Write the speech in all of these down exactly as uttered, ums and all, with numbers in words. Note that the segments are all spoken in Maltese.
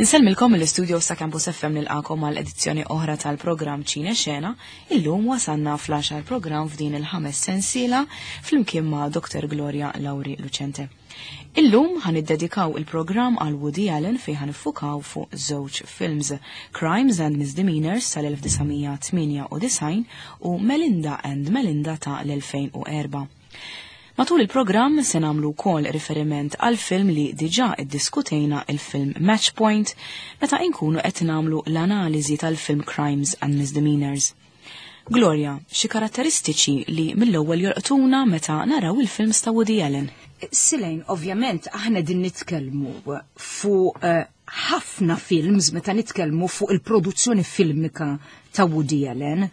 Insellmilkom mill-istudio sa' Campus F M, nilqagħkom għal edizzjoni oħra tal-programm Ċine Xena. Illum wasanna fl-għaxar programm f'din il-ħames sensiela flimkien ma' Doctor Gloria Lauri Lucente. Illum ħa niddedikaw il-programm għal Woody Allen, fejn ħa niffukaw fuq żewġ films, Crimes and Misdemeanors tal-elf disa' mija tmienja u disgħin u Melinda and Melinda ta' l-elfejn u erbgħa. Matul il-programm se nagħmlu wkoll riferiment għal film li diġà iddiskutejna, il-film Match Point, meta inkunu qed nagħmlu l-analiżi tal-film Crimes and Misdemeanors. Gloria, xi karatteristiċi li mill-ewwel jolqtuna meta naraw il-films ta' Woody Allen? Silejn, ovvjament, aħna din nitkellmu fuq eh, ħafna films meta nitkellmu fuq il-produzzjoni filmika ta' Woody Allen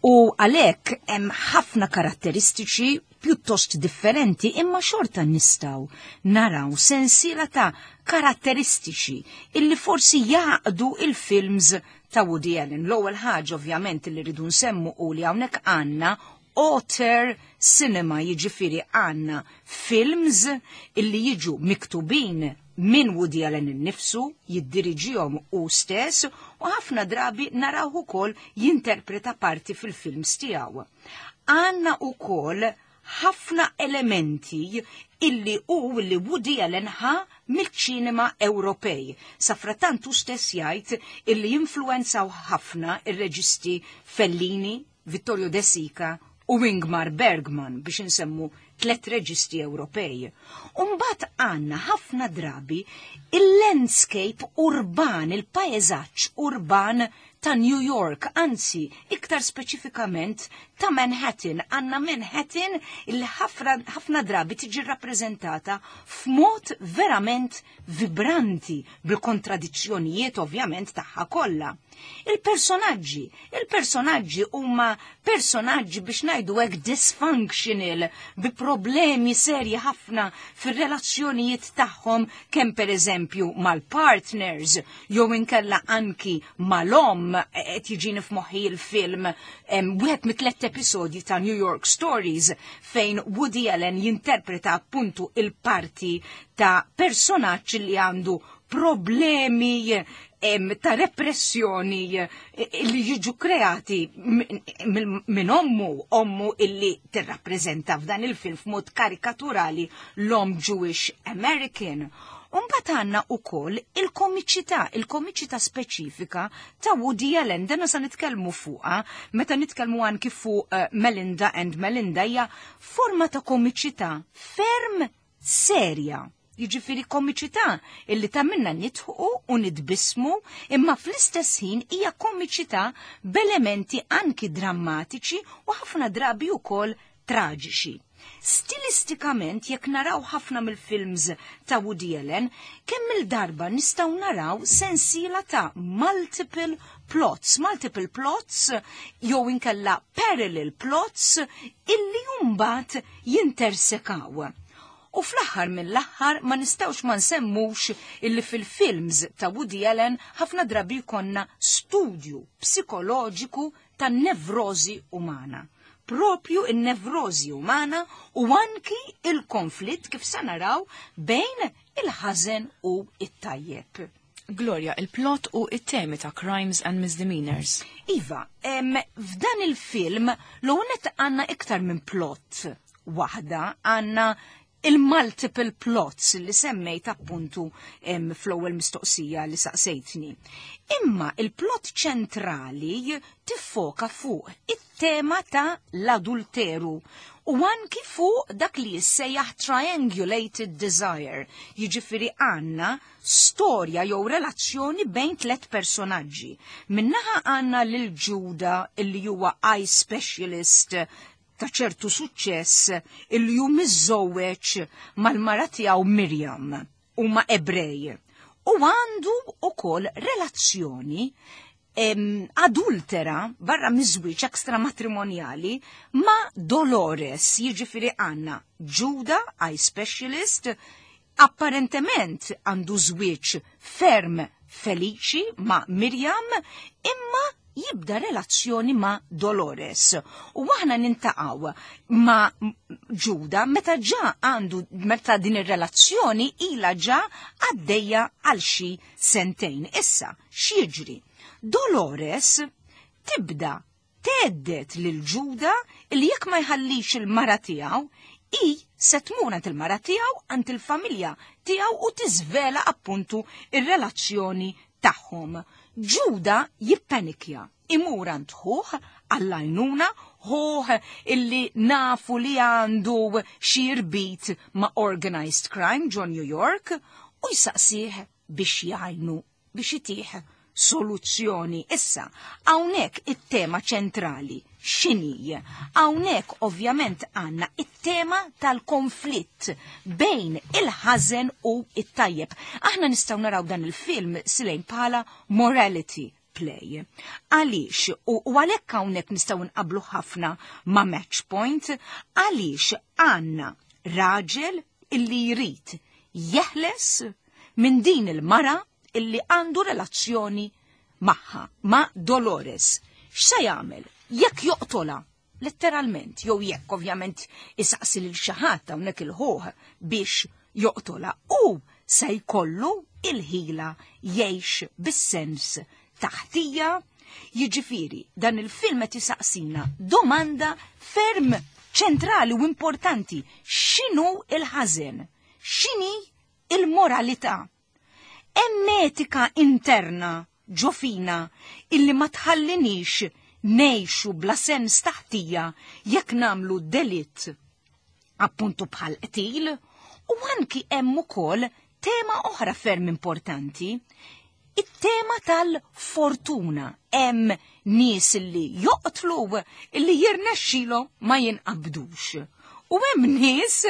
u għalhekk hemm ħafna karatteristiċi pjuttost differenti, imma xorta nistgħu naraw sensiela ta' karatteristiċi illi forsi jgħaqqdu il-films ta' Woody Allen. L-ewwel ħaġa ovvjament li rridu nsemmu u li hawnhekk għandna auteur cinema, jiġifieri għandna films illi jiġu miktubin minn Woody Allen innifsu, jiddiriġihom hu stess u ħafna drabi naraw ukoll jinterpreta parti fil-films tiegħu. Għandna ukoll ħafna elementi illi u illi Woody Allen ħa mill-ċinema Ewropej. Safrattant hu stess jgħid illi influenzaw ħafna ir-reġisti Fellini, Vittorio De Sica u Ingmar Bergman, biex insemmu tlet reġisti Ewropej. Umbat għandna ħafna drabi il-landscape urban, il-paesaġġ urban ta' New York, anzi, iktar speċifikament ta' Manhattan. Għandna Manhattan il ħafna drabi tiġi rappreżentata f'mod verament vibranti, bil-kontradizzjonijiet ovvjament tagħha kollha. Il-personaġġi, il-personaġġi huma personaġġi, biex ngħidu hekk, dysfunctional, bi problemi serji ħafna fir-relazzjonijiet tagħhom, kemm pereżempju mal-partners jew inkella anki mal-omm. Qed jiġini f'moħħi il-film, wieħed mit-tliet episodji ta' New York Stories, fejn Woody Allen jinterpreta appuntu il-parti ta' personaġġ li għandu problemi ta' repressjoni eh, li jiġu kreati minn ommu, ommu illi tirrappreżenta f'dan il-film f'mod karikaturali l-om Jewish American. Umbat għandna ukoll il-komiċità, il-komiċità speċifika ta' Woody Allen, dana sa nitkellmu fuqha meta nitkellmu anki fuq uh, Melinda and Melinda, hija forma ta' komiċità ferm serja. Jiġifieri komiċità illi tagħmilna nidħku u nitbismu, imma fl-istess ħin hija komiċità b'elementi anki drammatiċi u ħafna drabi wkoll traġiċi. Stilistikament, jekk naraw ħafna mill-films ta' Woody Allen, kemm il-darba nistgħu naraw sensiela ta' multiple plots, multiple plots jew inkella parallel plots illi mbagħad jintersekaw. U fl-aħħar mill-aħħar ma nistgħux ma nsemmux illi fil-films ta' Woody Allen ħafna drabi jkollna studju psikoloġiku ta' nevrozi umana. Propju in-nevrozi umana u anki il-konflitt, kif sa naraw, bejn il-ħażen u it-tajjeb. Gloria, il-plot u it-temi ta' Crimes and Misdemeanors. Iva, em, f'dan il-film l-għonet għandna iktar minn plot waħda, għandna il-multiple plots li semmejt appuntu fl-ewwel mistoqsija li saqsejtni. Imma il-plot ċentrali tiffoka fuq it-tema ta' l-adulteru u anki fuq dak li jissejjaħ triangulated desire, jiġifieri għandna storja jew relazzjoni bejn tlet personaġġi. Min-naħa għandna lil Ġuda, illi huwa eye specialist ta' ċertu suċċess, illi hu miżżewweġ mal-mara tiegħu Miriam, huma Ebrej. U għandu ukoll relazzjoni em, adultera barra miż-żwieġ, ekstramatrimonjali, ma' Dolores, jiġifieri għandna Ġuda, eye specialist, apparentement għandu żwieġ ferm feliċi ma' Miriam, imma jibda relazzjoni ma' Dolores. U aħna niltaqgħu ma' Ġuda meta ġa għandu meta din ir-relazzjoni ila ġa għaddejja għal xi sentejn. Issa, x'jiġri? Dolores tibda thedded lil Ġuda li jekk ma jħallix il-mara tiegħu, i se tmur għand il-mara tiegħu, għand il-familja tiegħu u tiżvela appuntu ir-relazzjoni tagħhom. Ġuda jippanikja, imur għand ħuh għall-għajnuna, ħuh illi nafu li għandu xi rbit ma' organized crime ġo New York u jsaqsih biex jgħinu, biex itih soluzzjoni. Issa, hawnhekk it-tema ċentrali x'inhi? Hawnhekk ovvjament għandna it-tema tal-konflitt bejn il-ħażen u it-tajjeb. Aħna nistgħu naraw dan il-film silejn bħala morality play. Għaliex, u għalhekk hawnhekk nistgħu nqablu ħafna ma' Match Point, għaliex għandna raġel illi jrid jeħles minn din il-mara illi għandu relazzjoni magħha, ma' Dolores. X'se jagħmel? Jekk joqtola, letteralment, jew jekk ovvjament isaqsi lil xi ħadd hawnhekk il-ħuh biex joqtola, u se jkollu il-ħila jgħix bis-sens ta' ħtija. Jiġifieri, dan il-film qed isaqsina domanda ferm ċentrali u importanti: x'inhu il-ħażen? X'inhi il-moralità? Hemm etika interna ġo fina illi ma tħallinix ngħixu bla sens ta' ħtija jekk nagħmlu delitt appuntu bħal qtil? U anki hemm ukoll tema oħra ferm importanti, it-tema tal-fortuna. Hemm nies li joqtlu illi jirnexxilhom ma jinqabdux. U hemm nies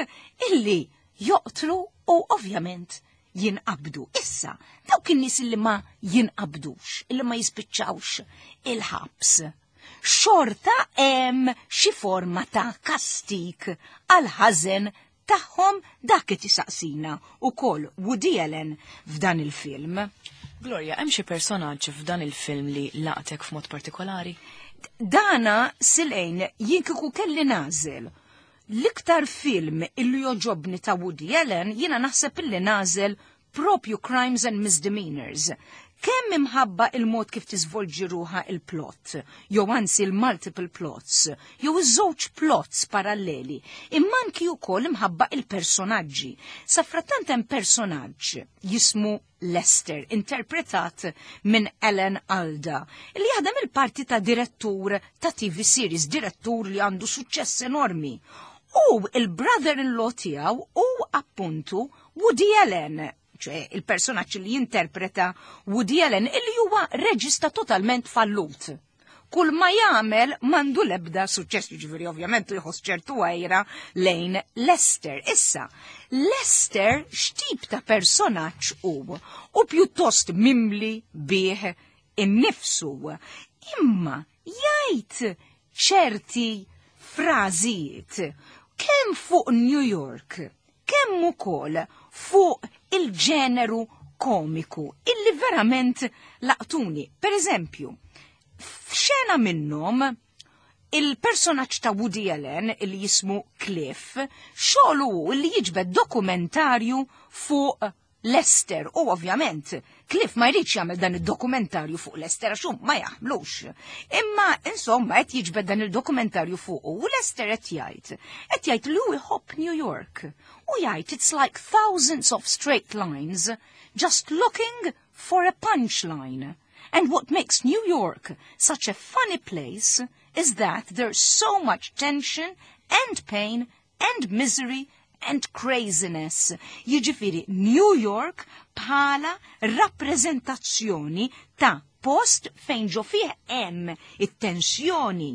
illi joqtlu u ovvjament jinqabdu. Issa, dawk in-nies illi ma jinqabdux, illi ma jispiċċawx il-ħabs, xorta hemm xi forma ta' kastik għal ħażen tagħhom? Dak qed isaqsina ukoll Woody Allen f'dan il-film. Gloria, hemm xi personaġġ f'dan il-film li laqtek f'mod partikolari? Dana silejn, jien kieku kelli nagħżel l-iktar film illi jogħġobni ta' Woody Allen, jiena naħseb illi nagħżel propju Crimes and Misdemeanors. Kemm imħabba il-mod kif tiżvolġi ruħha il-plot, jew anzi il-multiple plots, jew iż-żewġ plots paralleli, imma anki wkoll imħabba il-personaġġi. Safrattant hemm personaġġ jismu Lester, interpretat minn Alan Alda, li jaħdem il-parti ta' direttur ta' T V series, direttur li għandu suċċess enormi. U il-brother-in-law tiegħu u appuntu Woody Allen, ċe il-personaġġ li jinterpreta Woody Allen, illi huwa reġista totalment fallut. Kull ma jagħmel m'għandu lebda suċċess, jiġifieri ovvjament jħoss ċertu għira lejn Lester. Issa, Lester x'tip ta' personaġġ hu? U pjuttost mimli bih innifsu. Imma jgħid ċerti frażijiet kemm fuq New York, kemm ukoll fuq il-ġeneru komiku illi verament laqtuni. Per eżempju, f'xena minnhom il-personaġġ ta' Woody Allen illi jismu Cliff, xogħlu hu illi jiġbed dokumentarju fuq Lester, u ovvjament Cliff ma jridx jagħmel dan id-dokumentarju fuq Lester għax hu ma jaħmlux. Imma insomma qed jiġbed dan il-dokumentarju fuq u Lester qed jgħid qed jgħid li hu jħobb New York. U jgħid, "It's like thousands of straight lines just looking for a punchline. And what makes New York such a funny place is that there's so much tension and pain and misery and craziness." Jiġifieri New York bħala rappreżentazzjoni ta' post fejn ġo fih hemm it-tensjoni,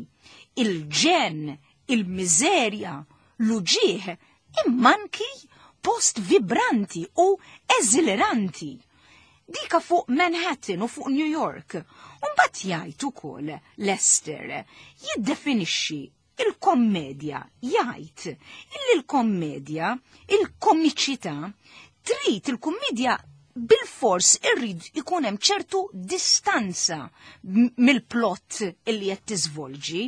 il-ġenn, il-miżerja, l-uġieħ, imma anki post vibranti u eżileranti. Dika fuq Manhattan u fuq New York. Umbagħad jgħid ukoll Lester, jiddefinixxi il-kommedja, jgħid illi l-kommedja, il-komiċità, trid il-kommedja bil-fors irrid ikun hemm ċertu distanza mill-plot illi qed tiżvolġi.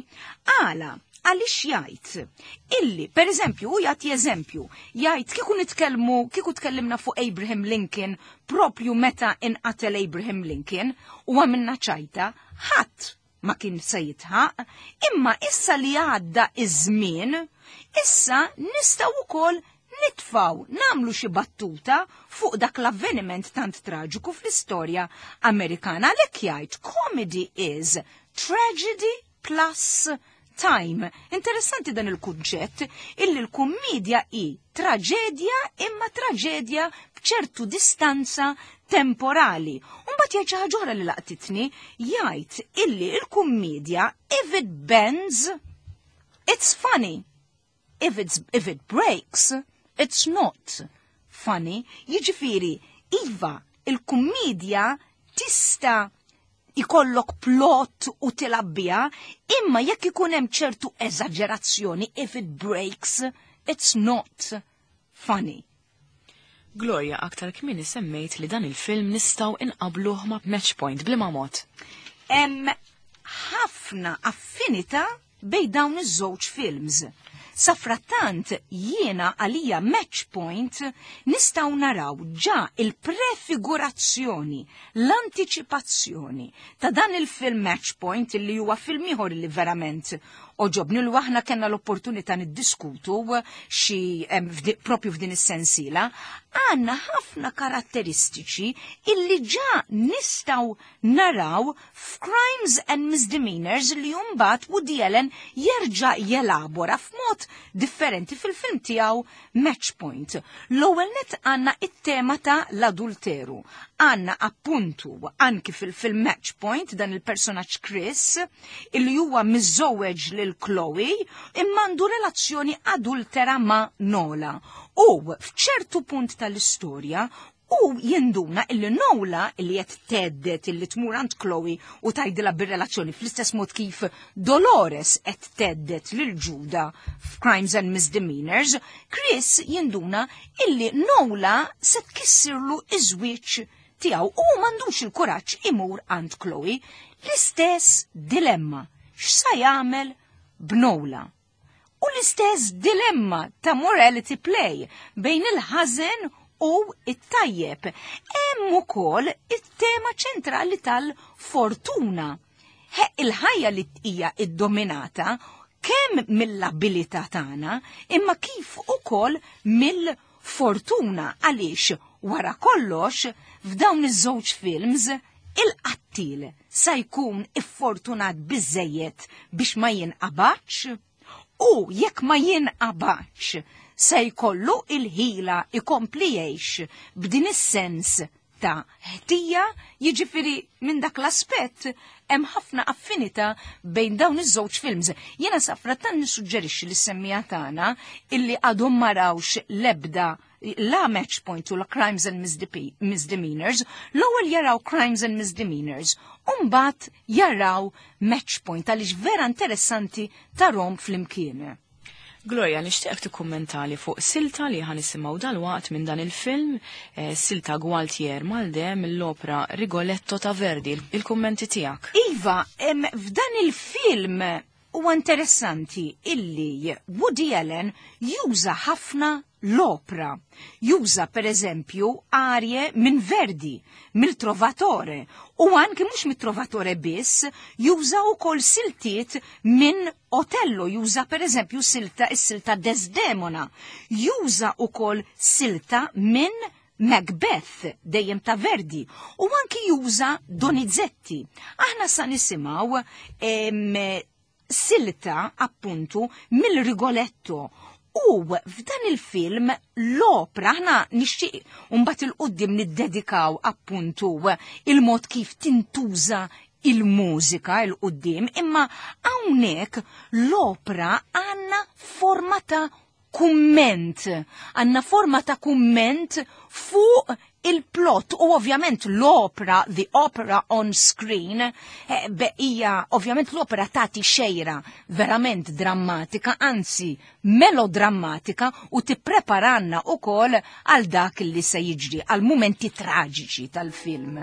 Għala, għaliex jgħid illi, per eżempju, u jagħti eżempju, jgħid kieku nitkellmu, kieku tkellimna fuq Abraham Lincoln propju meta inqatel Abraham Lincoln u għamilna ċajta, ħadd ma kien se jitħaq, imma issa li għadda iż-żmien, issa nistgħu wkoll nitfaw namlu xi battuta fuq dak l-avveniment tant traġiku fl-istorja Amerikana. Għalhekk jgħid comedy is tragedy plus time. Interessanti dan il-kunċett illi l-kummedja hi traġedja imma traġedja b'ċertu distanza temporali. Umbagħad jgħid xi ħaġa oħra li laqtitni, jgħid illi l-kummedja if it bends, it's funny. If, it's, if it breaks, it's not funny. Jiġifieri, iva, il-kummedja tista' ikollok plot u tilgħabha, imma jekk ikun hemm ċertu eżaġerazzjoni, if it breaks, it's not funny. Gloria, aktar kmieni semmejt li dan il-film nistgħu inqabluh ma' Match Point b'liema mod. Hemm ħafna affinità bejn dawn iż-żewġ films. Safrattant jiena għalija Match Point nistgħu naraw ġa il-prefigurazzjoni, l-antiċipazzjoni ta' dan il-film Match Point illi huwa film ieħor li verament għoġobni li aħna kellna l-opportunità niddiskutu xi propju f'din is-sensiela, għandna ħafna karatteristiċi illi ġa nistgħu naraw f'Crimes and Misdemeanors li mbagħad Woody Allen jerġa' jelabora f'mod differenti fil-film tiegħu Match Point. L-ewwel net għandna it-tema ta' l-adulteru. Għandna appuntu anki fil-film Match Point dan il-personaġġ Chris illi huwa miżżewweġ lil Chloe imma għandu relazzjoni adultera ma' Nola. U f'ċertu punt tal-istorja u jinduna illi Nola illi qed thedded illi tmur għand Chloe u tgħidilha bir-relazzjoni fl-istess mod kif Dolores qed thedded lil Judah f'Crimes and Misdemeanors, Chris jinduna illi Nola se tkissirlu iż-żwieġ tiegħu u m'għandux il-kuraġġ imur għand Chloe. L-istess dilemma x'sa jagħmel b'Nola. U l-istess dilemma ta' morality play bejn il-ħażen u it-tajjeb. Hemm ukoll it-tema ċentrali tal-fortuna. He, il-ħajja li hija iddominata kemm mill-abilità tagħna imma kif ukoll mill-fortuna għaliex wara kollox f'dawn iż-żewġ films il-qattil sa jkun iffortunat biżejjed biex ma jinqabadx u jekk ma jinqabadx se jkollu il-ħila ikompli jgħix b'din is-sens ta' ħtija, jiġifieri minn dak l-aspett hemm ħafna affinità bejn dawn iż-żewġ films. Jiena safrattant nissuġġerixxi lis-semmiegħa tagħna illi għadhom ma rawx l-ebda la Match Point u la Crimes and Misdemeanors, l-ewwel jaraw Crimes and Misdemeanors, u mbagħad jaraw Match Point għaliex vera interessanti tarahom flimkien. Gloria, nixtieqek tikkummentali fuq silta li ħa nisimgħu dalwaqt minn dan il-film, eh, silta Gualtier Maldè mill-opera Rigoletto ta' Verdi. Il-kummenti tiegħek. Iva, em, f'dan il-film huwa interessanti illi Woody Allen juża ħafna l-opra. Juża per eżempju arje minn Verdi, mill-Trovatore, u anki mhux mit-Trovatore biss, juża wkoll siltiet minn Otello, juża per eżempju silta is-silta Desdemona, juża wkoll silta minn Macbeth, dejjem ta' Verdi, u anki juża Donizetti. Aħna sa nisimgħu silta appuntu mill-Rigoletto. U f'dan il-film l-opra aħna nixtieq mbagħad 'il quddiem niddedikaw appuntu il-mod kif tintuża il-mużika 'il quddiem, imma hawnhekk l-opra għandna forma ta' kumment, għandna forma ta' kumment fuq Il-plot u ovvjament l-opera, the opera on screen, eh, hija ovvjament l-opera tagħti xejra verament drammatika, anzi melodrammatika, u tippreparanna wkoll għal dak li se jiġri, għal mumenti traġiċi tal-film.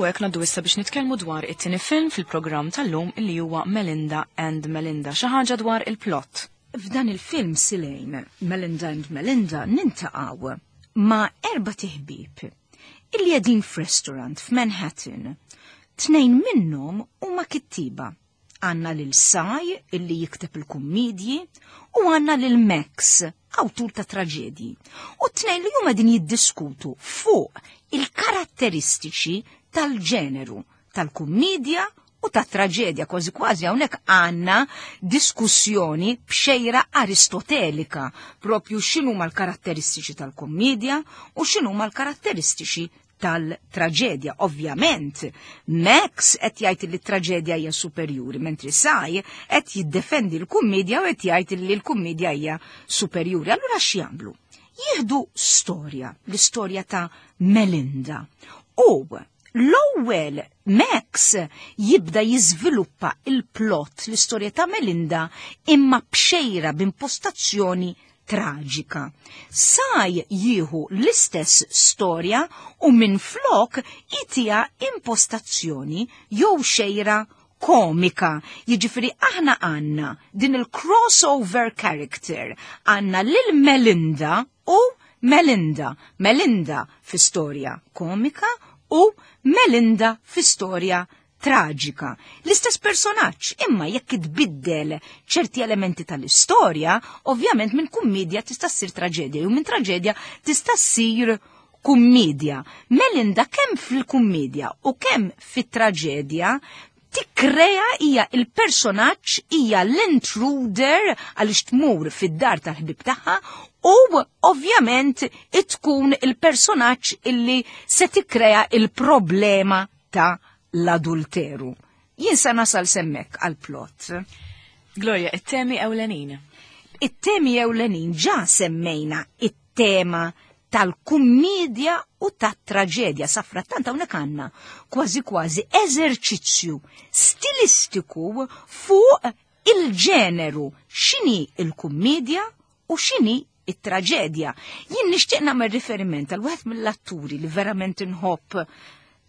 U hekk ngħaddu issa biex nitkellmu dwar it-tieni film fil-programm tal-lum illi huwa Melinda and Melinda, xi ħaġa dwar il-plot. F'dan il-film Silejn, Melinda and Melinda, nintaqgħu ma' erba' tiħbib illi qegħdin f'restaurant f'Manhattan. Tnejn minnhom huma kittiba. Għanna lil Saj illi jikteb il-kummedji u għanna lil Max, awtur ta' traġedji. U t-tnejn li huma din jiddiskutu fuq il-karatteristiċi tal-ġeneru, tal-kummedja u tat-traġedja. Kważi kważi hawnhekk għandna diskussjoni b'xejra aristotelika, propju x'inhuma l-karatteristiċi tal-kummedja u x'inhuma l-karatteristiċi tal-traġedja. Ovvjament, Max qed jgħid li t-traġedja hija superjuri, mentri Saj qed jiddefendi l-kummedja u qed jgħid li l-kummedja hija superjuri. Allura x'jagħmlu? Jieħdu storja, l-istorja ta' Melinda. U L-ewwel Max jibda jiżviluppa il-plot, l-istorja ta' Melinda, imma b'xejra b'impostazzjoni traġika. Saj jieħu l-istess storja u minn flok itija impostazzjoni jew xejra komika. Jiġifieri aħna għandna din il-crossover character, għandna lil Melinda u Melinda. Melinda fi storja komika u Melinda fi storja traġika. L-istess personaġġ, imma jekk itbiddel ċerti elementi tal-istorja, ovvjament minn kummedja tista' ssir traġedja, u minn traġedja tista' ssir kummedja. Melinda kemm fil-kummedja u kemm fit-traġedja tikkrea hija il-personaġġ, hija l-intruder għaliex tmur fid-dar tal-ħbib tagħha u ovvjament tkun il-personaġġ illi se tikkrea il-problema ta' l-adulteru. Jien sa nasal semmek għal-plot. Gloria, it-temi ewlenin. It-temi ewlenin ġa semmejna it-tema tal-kummedja u tat-traġedja. Safrattant hawnhekk għandna kważi kważi eżerċizzju stilistiku fuq il-ġeneru, x'inhi il-kummedja u x'inhi it-traġedja. Jien nixtieq nagħmel riferiment għal wieħed mill-atturi li verament inħobb,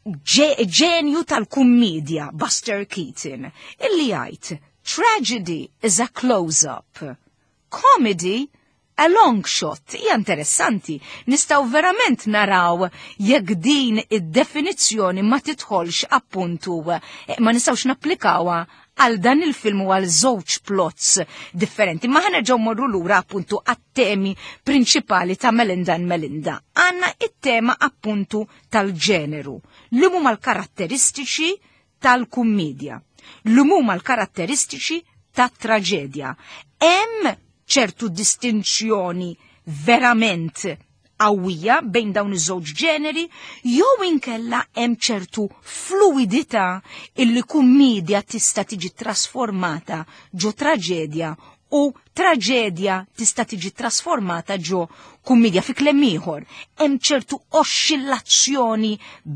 ġenju tal-kummedja, Buster Keaton, illi jgħid "Tragedy is a close-up, comedy a long shot." Hija interessanti, nistgħu verament naraw jekk din id-definizzjoni ma tidħolx appuntu, eh, ma nistgħux napplikawha għal dan il-film u għal żewġ plots differenti. Ma ħa nerġgħu morru lura appuntu għat-temi prinċipali ta' Melinda and Melinda. Għandna it-tema appuntu tal-ġeneru, li huma l-karatteristiċi tal-kummedja, li huma l-karatteristiċi tat-traġedja. Hemm ċertu distinzjoni verament qawwija bejn dawn iż-żewġ ġeneri, jew inkella hemm ċertu fluidità illi kummedja tista' tiġi trasformata ġo traġedja u traġedja tista' tiġi trasformata ġo kummedja? Fi kliem ieħor, hemm ċertu oscillazzjoni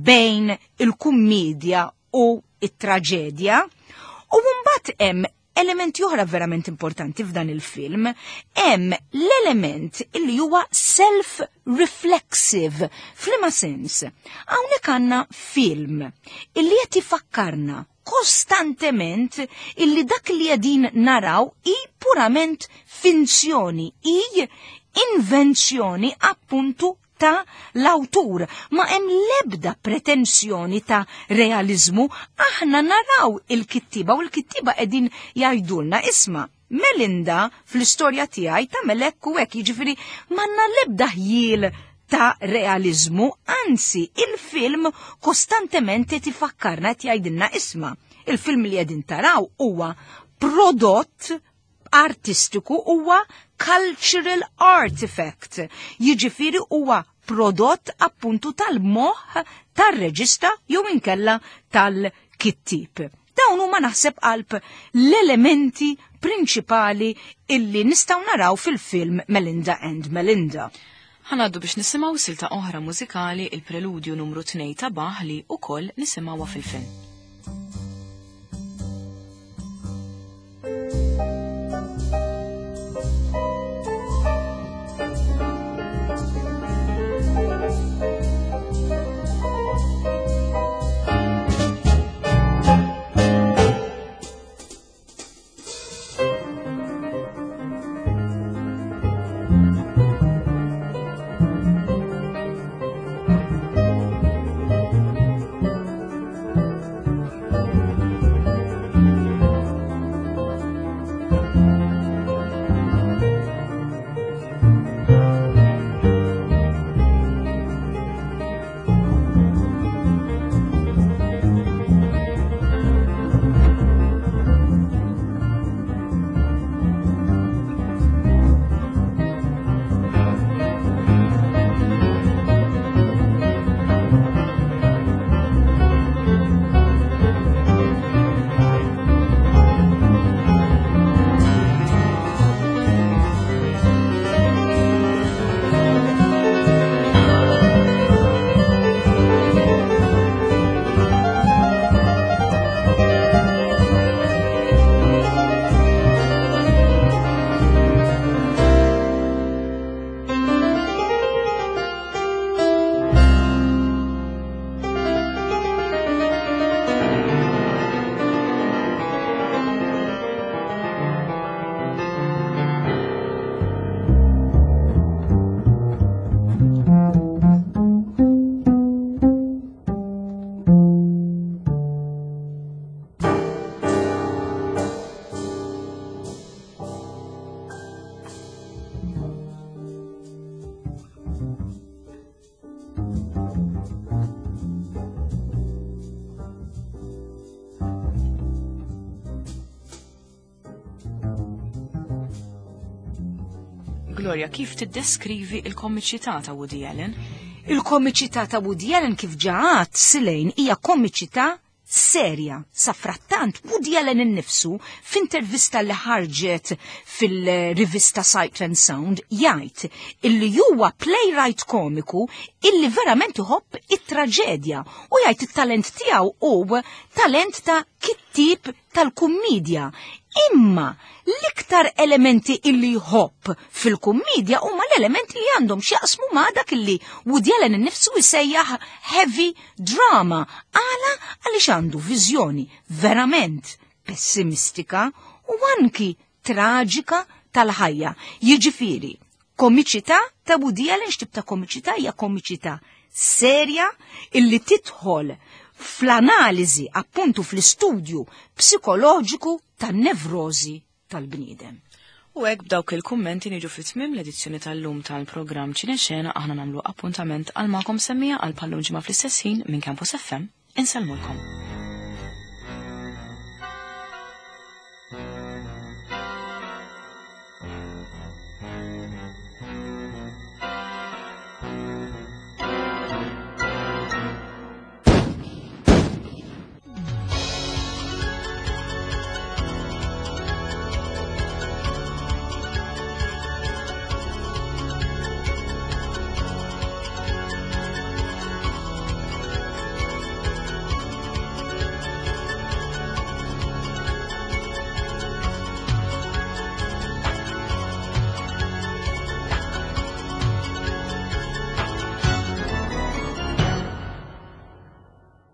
bejn il-kummedja u it-traġedja. U mbagħad hemm elementi oħra verament importanti f'dan il-film, hemm l-element illi huwa self-reflexive. F'liema sens? Hawnhekk għandna film illi qed ifakkarna kostantement illi dak li qegħdin naraw hi purament finzjoni, hi invenzjoni appuntu ta' l-awtur. Ma hemm lebda pretensjoni ta' realizmu, aħna naraw il-kittiba u l-kittiba qegħdin jgħidulna isma', Melinda fl-istorja tiegħi tagħmel hekk u hekk, jiġifieri m'għandna lebda ħjiel ta' realizmu, anzi il-film kostantement qed ifakkarna, qed jgħidilna isma', il-film li qegħdin taraw huwa prodott artistiku, huwa cultural artifact, jiġifieri huwa prodott appuntu tal-moħħ tar-reġista jew inkella tal-kittib. Dawn huma naħseb qalb l-elementi prinċipali illi nistgħu naraw fil-film Melinda and Melinda. Ħa ngħaddu biex nisimgħu silta oħra mużikali, il-preludju numru tnejn ta' Bach li ukoll nisimgħuha fil-film. Gloria, kif tiddeskrivi il-komiċità ta' Woody Allen? Il-komiċità ta' Woody Allen, kif ġa għedt, Silejn, hija komiċità serja. Safrattant, Woody Allen innifsu, f'intervista li ħarġet fil-rivista Sight and Sound, jgħid illi huwa playwright komiku illi verament iħobb it-traġedja u jgħid it-talent tiegħu hu talent ta' kittib tal-kummedja. Imma l-iktar elementi illi jħobb fil-kummedja huma l-elementi li għandhom x'jaqsmu ma' dak illi Woody Allen innifsu jsejjaħ heavy drama. Għala? Għaliex għandu viżjoni verament pessimistika u anki traġika tal-ħajja. Jiġifieri, komiċità ta' Woody Allen, x'tip ta' komiċità? Hija komiċità serja illi tidħol fl-analiżi, appuntu fl-istudju psikoloġiku tan-nevrozi tal-bniedem. U hekk, b'dawk il-kummenti, niġu fit-tmim l-edizzjoni tal-lum tal-programm Ċinexena. Aħna nagħmlu appuntament għal magħkom semmiegħa għal bħal-lum ġimgħa fl-istess ħin minn Campus F M. Insellmulkom.